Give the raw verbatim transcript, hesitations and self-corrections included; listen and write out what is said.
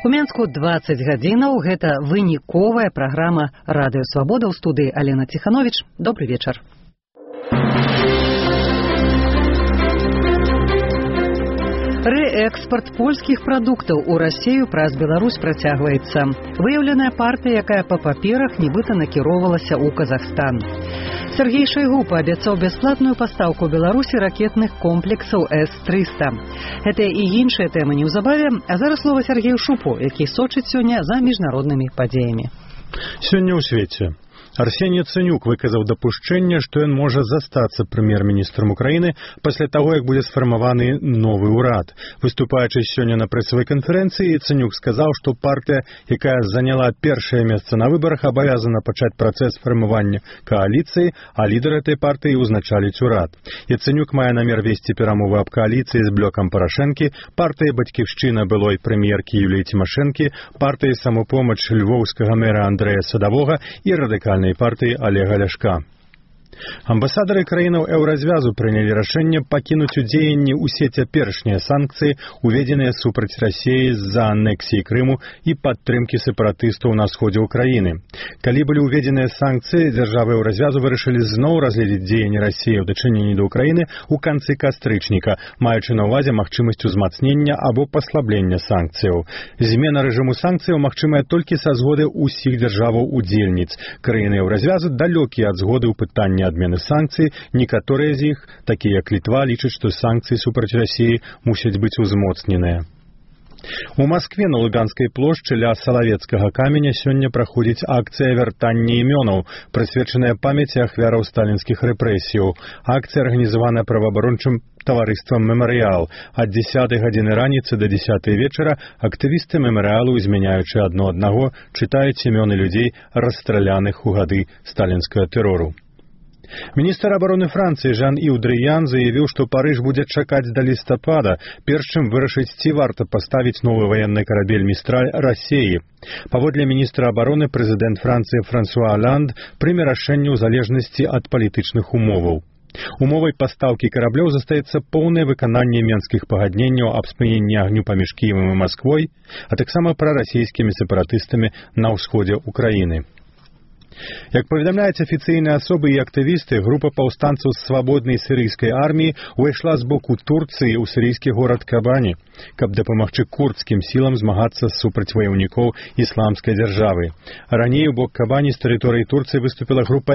У Менску дваццаць гадзінаў. Гэта выніковая праграма «Радыё Свабода». У студыі Алена Ціхановіч. Добры вечар. Рээкспарт польскіх прадуктаў у Расію праз Беларусь працягваецца. Выяўленая партыя, якая па паперах нібыта накіроўвалася ў Казахстан. Сергей Шойгу паабяцаў бясплатную пастаўку Беларусі ракетных комплексаў эс трыста. Гэтыя і іншыя тэмы неўзабаве, а зараз слова Сергею Шупу, які сочыць сёння за міжнароднымі падзеямі. Сёння ў свеце. Арсеній Яцэнюк выказаў дапушчэнне, што ён можа застацца прэм'ер-міністрам Украіны пасля таго, як будзе сфармаваны новы ўрад. Выступаючы сёння на прэсавай канферэнцыі, Яцэнюк сказаў, што партыя, якая заняла першае месца на выбарах, абавязана пачаць працэс фармавання кааліцыі, а лідар этой партыі ўзначаліць урад. Яцэнюк мае намер весці перамовы аб кааліцыі з блокам Парашэнкі, партыяй «Бацькіўшчына» былой прэм'еркі Юліі Цімашэнкі, партыяй «Самапомач» львоўскага мэра Андрэя Садавога і радыкальнай партыі Олега Ляшка. Амбасадары краінаў еўразвязу прынялі рашэнне пакінуць у дзеянні ўсе цяперашнія санкцыі, уведзеныя супраць Расіі з-за анексіі Крыму і падтрымкі сепаратыстаў на сходзе ўкраіны. Калі былі ўведзеныя санкцыі, дзяржавы еўразвязу вырашылі зноў разгледзець дзеянні Расіі ў дачыненні да Ўкраіны ў канцы кастрычніка, маючы на ўвазе магчымасць узмацнення або паслаблення санкцыяў. Змена рэжыму санкцыяў магчымая толькі са згоды ўсіх дзяржаваў-удзельніц. Краіны еўразвязу далёкія ад згоды ў пытанні адмены санкцый. Некаторыя з іх, такія як Літва, лічаць, што санкцыі супраць Расіі мусяць быць узмоцненыя. У Маскве на Луганскай плошчы ля Салавецкага каменя сёння праходзіць акцыя вяртання імёнаў, прысвечаная памяці ахвяраў сталінскіх рэпрэсіяў. Акцыя арганізаваная праваабарончым таварыствам «Мемарыял». Ад дзесятай гадзіны раніцы да дзесятай вечара актывісты «Мемарыялу», змяняючы адно аднаго, чытаюць імёны людзей, расстраляных у гады сталінскага тэрору. Міністр абароны Францыі Жан-Ів Дрыян заявіў, што Парыж будзе чакаць да лістапада, перш чым вырашыць, ці варта паставіць новы ваенны карабель «Містраль» Расіі. Паводле міністра абароны, прэзідэнт Францыі Франсуа Оланд прыме рашэнне ў залежнасці ад палітычных умоваў. Умовай пастаўкі караблёў застаецца поўнае выкананне менскіх пагадненняў аб спыненні агню паміж Кіевам і Масквой, а таксама прарасійскімі сепаратыстамі на ўсходзе ўкраіны. Як паведамляюць афіцыйныя асобы і актывісты, група паўстанцаў з свабоднай сірыйскай арміі ўвайшла з боку Турцыі ў сірыйскі горад Кабані, каб дапамагчы курдскім сілам змагацца супраць ваяўнікоў ісламскай дзяржавы. Раней у бок Кабані з тэрыторыі Турцыі выступіла група